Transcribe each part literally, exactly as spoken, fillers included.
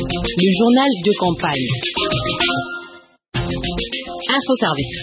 Le journal de campagne. Info Service.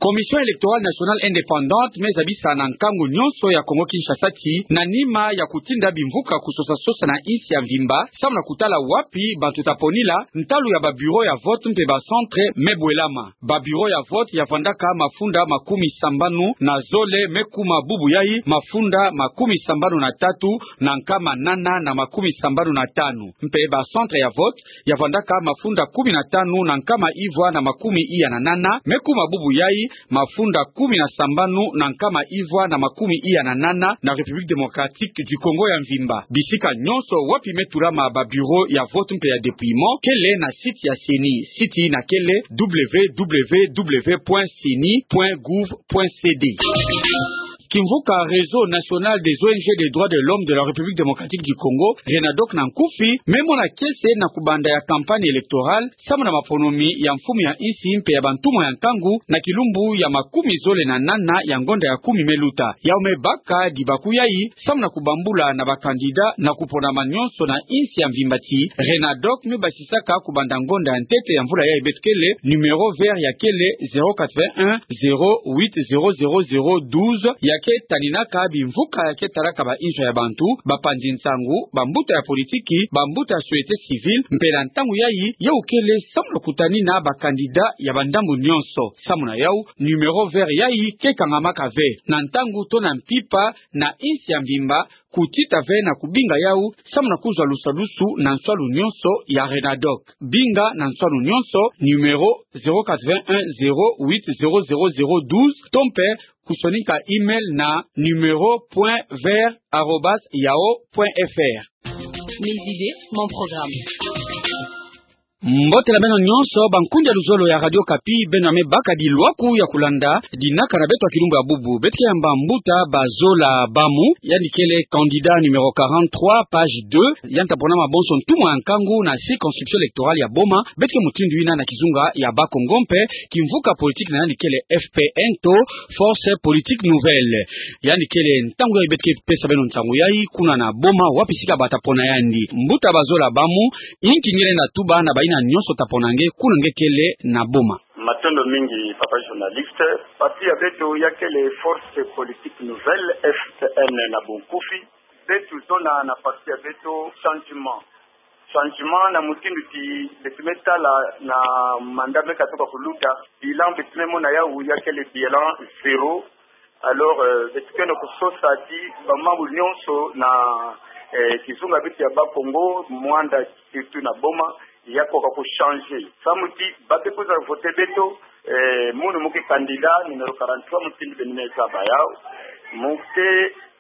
Commission électorale nationale indépendante me zabisa na nkangu nyonso ya Kongo-Kinshasa ti, na nima ya kutinda bimvuka kusosa-sosa na insi ya mvimba, samu na kutala wapi bantu taponila, ntalu ya ba bureau ya vote mpe ba centre me bwelama. Ba bureau ya vote ya vandaka mafunda makumi sambanu na zole me kuma bubu yai mafunda makumi sambanu na tatu na nkama nana na makumi sambanu na tanu. Mpe ba centre ya vote ya vandaka mafunda kumi na tanu na nkama ivwa na makumi iya na nana me kuma bubu yai mafunda kumi na sambanu na nkama ivwa na makumi iya na nana na République Démocratique du Congo ya mvimba. Bisika nyonso wapi me tulama ba bureau ya vote mpe ya dépouillement kele na site ya CENI. Site na kele www point ceni point gouv point cd. Kimvuka Réseau National des O N G des Droits de l'Homme de la République Démocratique du Congo, RENADOC na nkufi, me mona kiese na kubanda ya campagne électorale, samu na maponomi ya mfumu ya insi mpe ya bantumwa ya nkangu, na kilumbu ya makumi zole na nana ya ngonda ya kumi me luta. Yau me baka dibaku yai, samu na kubambula na ba candidat na kuponama nyonso na insi ya mvimba ti, RENADOC me basisaka kubanda ngonda ya ntete ya mvula yai beto kele, numéro vert ya kele zéro quatre-vingt-un zéro huit zéro zéro zéro douze, ya ke taninaka bimvuka ya ke talaka ba inzo ya bantu, ba panzi nsangu, ba mbuta ya politiki, ba mbuta ya société civile, mpe na ntangu yai, yau kele samu na kutanina ba candidat ya ba ndambu nyonso. Samu na yau, numéro vert yai ke kangamaka ve, na ntangu to na mpimpa, na insi ya mvimba, kutita ve na kubinga yau, samu na kuzwa lusadusu na nswalu nyonso ya RENADOC. Binga na nswalu nyonso, numéro zéro quatre-vingt-un zéro huit zéro zéro zéro douze, to mpe kusonika email na numéro point vert arobase yahoo point F R. Mes idées, mon programme. Mbote na beno nyonso, bankundi ya luzolo ya Radio Okapi, beno ya me baka dilwaku ya kulanda dinaka na beto ya kilumbu ya bubu. Beto ke yamba mbuta Bazola Bamu, yandi kele candidat numéro quarante-trois, page deux, yandi taponama bonso ntumwa ya nkangu na circonscription électorale ya Boma, beto ke mutindu yina na kizunga ya Bas-Congo mpe kimvuka politique na yandi kele F P N to Force Politique Nouvelle. Yandi kele ntangu yai beto ke pesa beno nsangu yai kuna na Boma, wapi sika bata pona yandi. Mbuta Bazola Bamu, inki nge lenda tuba na bayina nyonso ta pona nge kuna nge kele na Boma? Matondo mingi, papa journaliste. Parti ya beto ya kele Force Politique Nouvelle, F P N na bunkufi. Beto zona na parti ya beto changement. Changement na mutindu ti beto me tala na mandat me katuka kuluta. Bilan beto me mona yau ya kele bilan zéro. Alors, euh, beto ke na kusosa ti ba mambu nyonso na, euh, kizunga beto ya Bas-Congo, Muanda, surtout na Boma, ya koka ku changer. Samu ti ba ke kwiza voter beto, euh, munu mu ke candidat numéro quarante-trois, mutindu beno me zaba yau. Mu ke,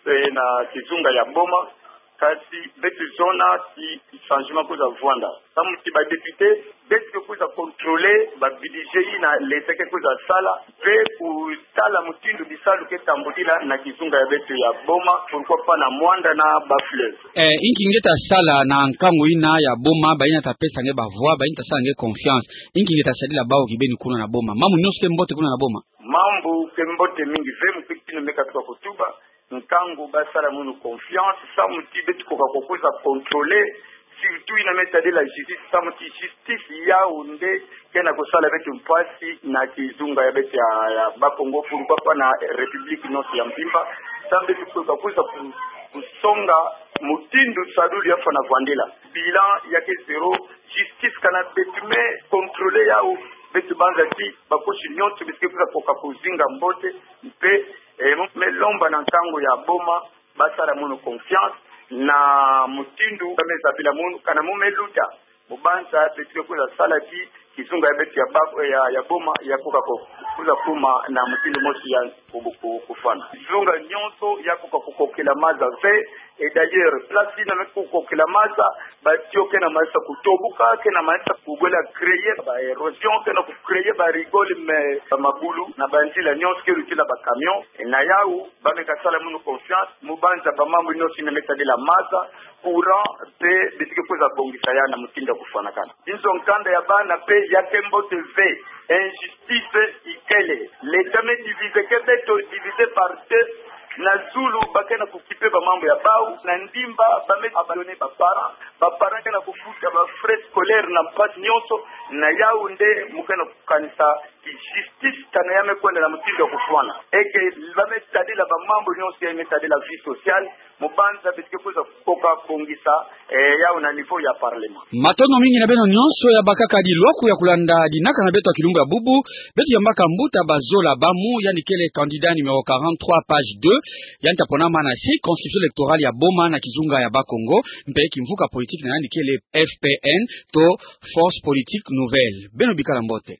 euh, na kizunga ya Boma, kasi beto zona ti changement kwiza vwanda. Samu ti ba député, beto ke kwiza contrôler ba budget yina l'État ke kwiza sala, mpe kutala mutindu bisalu ke tambudila na kizunga ya beto ya Boma, pourquoi pas na Muanda na Bas-Fleuve. Eh, inki nge ta sala na nkangu yina ya Boma, bayina ta pesa nge ba voix, bayina ta sala nge confiance. Inki nge ta sadila bau kibeni kuna na Boma? Mambu nyonso ke mbote kuna na Boma? Mambu ke mbote mingi ve, mu ke tino me katuka kutuba. Nkangu ba sala munu confiance, samu ti beto koka kukwiza contrôler, surtout yina me tadila justice, samu ti justice yau nde ke na kusala beto mpasi na kizunga ya beto ya, ya Bas-Congo, pourquoi pas na République nyonso ya mvimba. Samu beto koka kwiza ku-, kusonga mutindu sadulu ya fwana vwandila. Bilan ya ke zéro, justice kana beto me contrôler yau, beto banza ti ba kosi nyonso beto ke kwiza koka kuzinga mbote, mpe Eh, mu me lomba na nkangu ya Boma, ba sala munu confiance, na mutindu ba me zabila munu, kana mu me luta. Mu banza beto ke kwiza sala ti kizunga ya beto ya Ba-, ya, ya Boma, ya koka ku-, kwiza kuma na mutindu mosi ya ku-, ku-, kufwana. Kizunga nyonso ya koka kukokela maza ve, et d'ailleurs, place yina me kukokela maza, ba tuyau ke na manisa kutoboka, ke na manisa kubwela créer ba érosion, ke na ku créer ba rigole, mais ba mabulu, na ba nzila nyonso ke lutila ba camion. Na yau, ba me kasala munu confiance, mu banza ba mambu nyonso yina me tadila maza, courant, mpe beto ke kwiza bongisa ya na mutindu ya kufwanakana. Inzo nkanda ya bana mpe ya ke mbote ve, injustice ikele. L'État me diviser ke beto, diviser par deux, na zulu ba ke na kukipe ba mambu ya bau, na ndimba ba me abandonner ba parents, ba parents na kofuta ba frais scolaires na mpasi nyonso. Na yawu nde mu ke na kokanisa ti justice kana ya me kwenda na mutindu ya kofwana, eke ba me tadila ba mambu nyonso ya me tadila vie sociale. Mu banza beto ke kwiza kokoka kongisa, eh, yawu na niveau ya parlement. Matondo mingi na beno nyonso ya bakaka di lwaku ya kolanda dinaka na beto ya kilumbu ya bubu. Beto yambaka mbuta Bazola Bamu, yandi kele candidat numéro quarante-trois, page deux, yandi ta ponama na circonscription électorale ya Boma na kizunga ya Bas-Congo, mpe kimvuka politique na yandi kele F P N, to Force Politique Nouvelle. Beno bikala mbote.